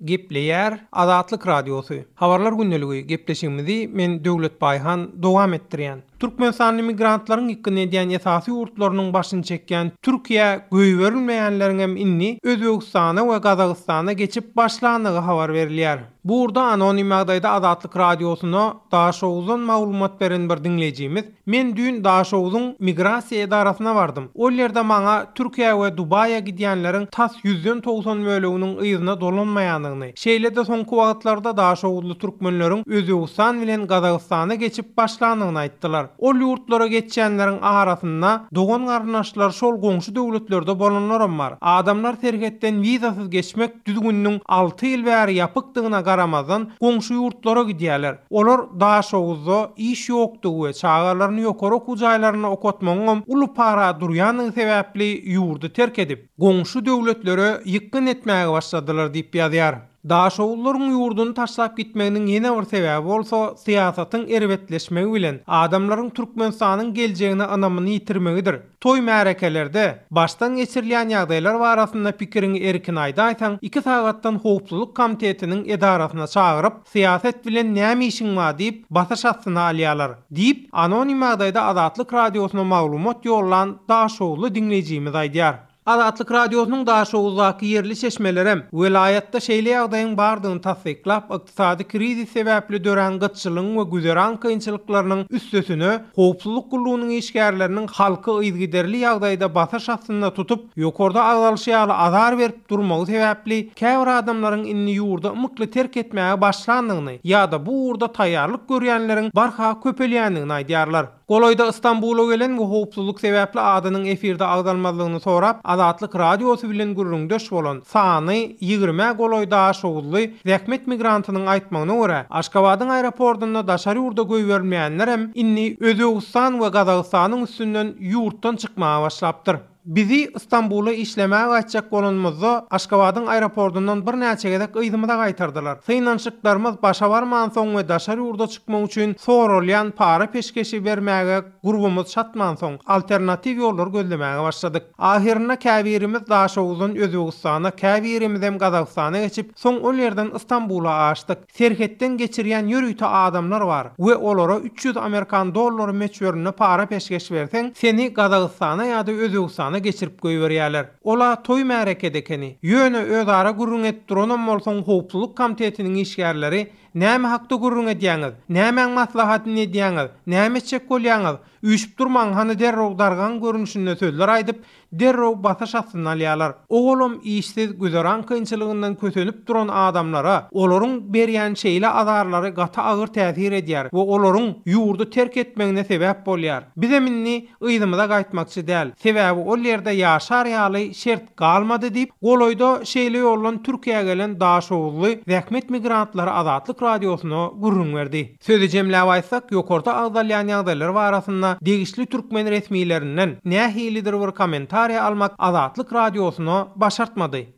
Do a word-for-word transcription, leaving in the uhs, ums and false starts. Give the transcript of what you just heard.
Gepleýär Azatlyk Radiosy. Habarlar gündeligi gepleşigimizi men Döwlet Baýhan dowam etdirýän. Türkmenistanly migrantlaryň ýykgyn edýän esasy ýurtlarynyň başyny çekýän Türkiýä goýberilmeýänleriň hem indi Özbegistana we Gazagystana geçip başlandygy habar berilýär. Burada anonim ýagdaýda Azatlyk Radiosyna Daşoguzdan maglumat beren bir diňleýjimiz, men düýn Daşoguzyň migrasiýa edarasyna bardym. Ol ýerde maňa Türkiýä we Dubaýa gidýänleriň tas ýüzden togsan böleginiň yzyna dolanmaýandygyny, şeýle-de soňky wagtlarda Daşoguzly türkmenleriň Özbegistan bilen Gazagystana geçip başlandygyny aýtdylar. Ol ýurtlara geçýänleriň arasynda dogan garyndaşlar şol goňşy döwletlerde bolanlaram bar. Adamlar serhetden wizasyz geçmek düzgüniniň alty ýyl bäri ýapykdygyna garamazdan goňşy ýurtlara gidýärler. Olar Daşoguzda iş ýokdugy we çagalaryny ýokary okuw jaýlarynda okatmagyň uly para durýandygy sebäpli ýurdy terk edip, goňşy döwletlere ýykgyn etmäge başladylar diýip ýazýar. Daşoguzlaryň ýurduny taşlap gitmeginiň ýene bir sebäbi bolsa syýasatyň erbetleşmegi bilen adamlaryň Türkmenistanyň geljegine ynamyny ýitirmegidir. Toý märekelerde başdan geçirilýän ýagdaýlar barasynda pikiriňi erkin aýdaýsaň, iki sagatdan howpsuzlyk komitetiniň edarasyna çagyryp, syýasat bilen näme işiň bar diýip basyş astyna alýarlar diýip anonim ýagdaýda Azatlyk Radiosyna maglumat ýollan Daşoguzly diňleýjimiz aýdýar. Azatlyk Radiosynyň Daşoguzdaky ýerli çeşmelerem welaýatda şeýle ýagdaýyň bardygyny tassyklap, ykdysady krizis sebäpli dörän gytçylygyň we güzeran kynçylyklarynyň üstesine howpsuzlyk gullugynyň işgärleriniň halky yzygiderli ýagdaýda basyş astynda tutup, ýokarda agzalyşy ýaly azar berip durmagy sebäpli käbir adamlaryň indi ýurda ymykly terk etmäge başlandygyny ýa-da bu ugurda taýýarlyk görýänleriň barha köpelýändigini aýdýarlar. Golaýda Istanbula gelen we howpsuzlyk sebäpli adynyň efirde agzalmazlygyny sorap, Azatlyk Radiosy bilen gürrüňdeş bolan sany ýigrimä golaý Daşoguzly zähmet migrantynyň aýtmagyna görä, Aşgabadyň aeroportunda daşary ýurda goýberilmeýänler indi Özbegistan we Gazagystanyň üstünden ýurtdan çykmaga başlapdyr. Bizi Istanbula işlemäge gaýtjak bolanymyzda Aşgabadyň aeroportundan birnäçe gezek yzymyza gaýtardylar. Synanyşyklarymyz başa barmansoň we daşary ýurda çykmak üçin soralýan para peşgeşi bermäge gurbumyz çatmansoň alternatiw ýollar gözlemäge başladyk. Ahyrynda käbirimiz Daşoguzdan Özbegistana, käbirimiz hem Gazagystana geçip, soň ol ýerden Istanbula aşdyk. Serhetden geçirýän ýörite adamlar bar we olara üç ýüz Amerikan dollary möçberinde para peşgeş berseň, seni Gazagystana ýa-da Özbegistana geçirip goýberýärler. Ola toý märekede ekeni. Ýöne özara gürrüň etip duranam bolsaň howpsuzlyk komitetiniň işgärleri näme hakda gürrüň edýäňiz? Nämäň maslahatyny edýäňiz? Näme etjek bolýaňyz? Üýşüp durmaň hany derrew dargan görnüşinde sözler aýdyp, derrew basyş astyna alýarlar. Oglum işsiz güzeran kynçylygyndan kösenip duran adamlara olaryň berýän şeýle azarlary gaty agyr täsir edýär we olaryň ýurdy terk etmegine sebäp bolýar. Bizem indi yzymyza gaýtmakçy däl. Sebäbi ol ýerde ýaşar ýaly şert galmady diýip, golaýda şeýle ýoldan Türkiýä gelen Daşoguzly zähmet migrantlary Azatlyk Radiosyna gürrüň berdi. Sözi jemläp aýtsak, ýokarda agzalýan ýagdaýlar barasynda degişli türkmen resmilerinden nähilidir bir kommentariýa almak Azatlyk Radiosyna başartmady.